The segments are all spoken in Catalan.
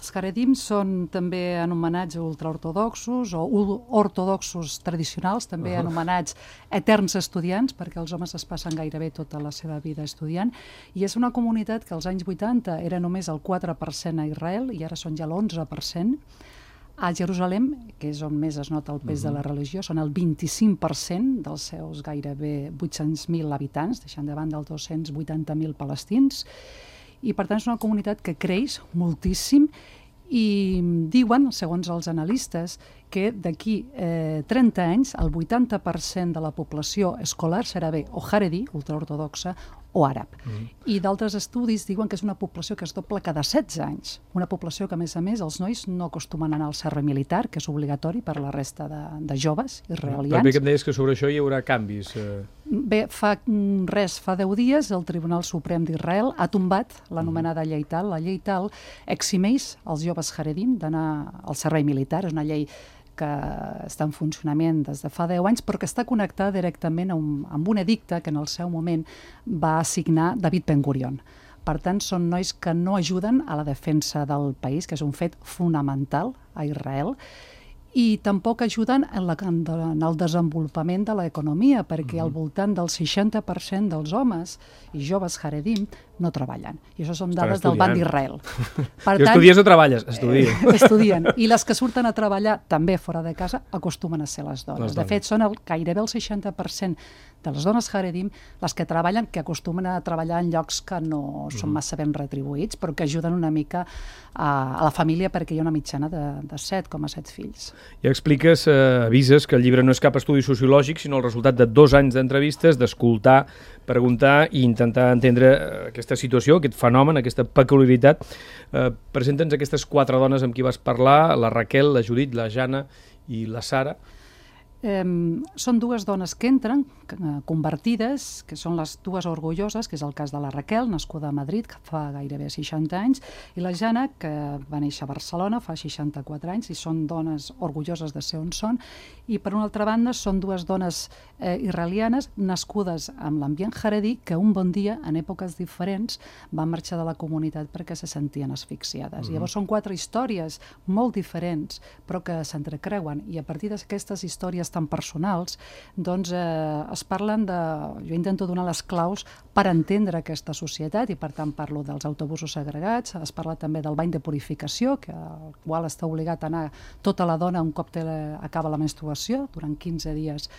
Els Haredim són també anomenats ultraortodoxos o ortodoxos tradicionals, també anomenats eterns estudiants, perquè els homes es passen gairebé tota la seva vida estudiant, i és una comunitat que als anys 80 era només el 4% a Israel i ara són ja l'11%. A Jerusalem, que és on més es nota el pes de la religió, són el 25% dels seus gairebé 800.000 habitants, deixant de banda els 280.000 palestins, i per tant és una comunitat que creix moltíssim i diuen, segons els analistes, que d'aquí 30 anys el 80% de la població escolar serà bé o haredi, ultraortodoxa, o àrab. I d'altres estudis diuen que és una població que es dobla cada 16 anys. Una població que, a més, els nois no acostumen a anar al servei militar, que és obligatori per a la resta de joves israelians. També que em deies que sobre això hi haurà canvis. Bé, fa 10 dies el Tribunal Suprem d'Israel ha tombat l'anomenada llei Tal. La llei Tal eximeix els joves haredim d'anar al servei militar. És una llei que està en funcionament des de fa 10 anys, però que està connectada directament amb un edicte que en el seu moment va signar David Ben Gurion. Per tant, són nois que no ajuden a la defensa del país, que és un fet fonamental a Israel, i tampoc ajuden en el desenvolupament de l'economia, perquè al voltant del 60% dels homes i joves haredim no treballen. I això són dades del Banc d'Israel. I estudies o treballes? Estudien. I les que surten a treballar també fora de casa acostumen a ser les dones. De fet, són gairebé el 60% de les dones haredim les que treballen, que acostumen a treballar en llocs que no són massa ben retribuïts, però que ajuden una mica a la família perquè hi ha una mitjana de 7,7 fills. Ja expliques, avises que el llibre no és cap estudi sociològic, sinó el resultat de 2 anys d'entrevistes, d'escoltar, preguntar i intentar entendre aquesta situació, aquest fenomen, aquesta peculiaritat. Presenta'ns aquestes 4 dones amb qui vas parlar, la Raquel, la Judit, la Jana i la Sara. Són 2 dones que entren, convertides, que són les 2 orgulloses, que és el cas de la Raquel, nascuda a Madrid, que fa gairebé 60 anys, i la Jana, que va néixer a Barcelona, fa 64 anys, i són dones orgulloses de ser on són, i per una altra banda són 2 dones israelianes nascudes amb l'ambient haredi que un bon dia, en èpoques diferents, van marxar de la comunitat perquè se sentien asfixiades. Llavors són 4 històries molt diferents, però que s'entrecreuen, i a partir d'aquestes històries tan personals, doncs es parlen de... Jo intento donar les claus per entendre aquesta societat i per tant parlo dels autobusos segregats, es parla també del bany de purificació, al qual està obligat a anar tota la dona un cop acaba la menstruació, durant 15 dies.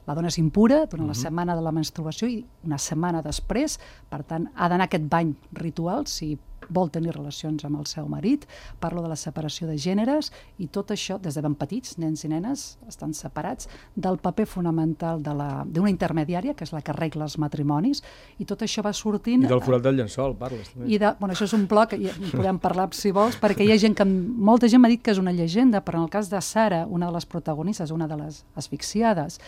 La dona és impura durant la setmana de la menstruació i una setmana després, per tant, ha d'anar a aquest bany ritual si vol tenir relacions amb el seu marit. Parlo de la separació de gèneres i tot això, des de ben petits, nens i nenes estan separats, del paper fonamental d'una intermediària, que és la que arregla els matrimonis, i tot això va sortint... I del forat del llençol, parles també. Això és un bloc, en podem parlar si vols, perquè hi ha gent que... Molta gent m'ha dit que és una llegenda, però en el cas de Sara, una de les protagonistes, una de les asfixiades,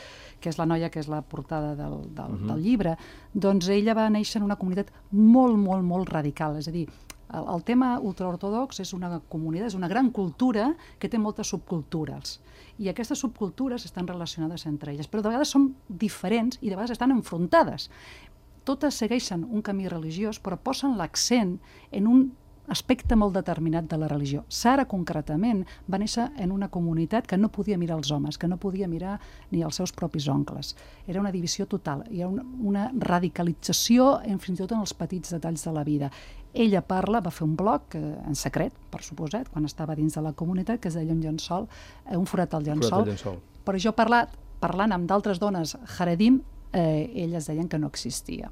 que és la noia que és la portada del llibre, doncs ella va néixer en una comunitat molt, molt, molt radical. És a dir, el tema ultraortodox és una comunitat, és una gran cultura que té moltes subcultures. I aquestes subcultures estan relacionades entre elles, però de vegades són diferents i de vegades estan enfrontades. Totes segueixen un camí religiós, però posen l'accent en un aspecte molt determinat de la religió. Sara, concretament, va néixer en una comunitat que no podia mirar els homes, que no podia mirar ni els seus propis oncles. Era una divisió total, hi ha una radicalització fins i tot en els petits detalls de la vida. Ella va fer un blog en secret, per suposat, quan estava dins de la comunitat, que es deia un forat al llençol. Però jo parlant amb d'altres dones haredim, elles deien que no existia.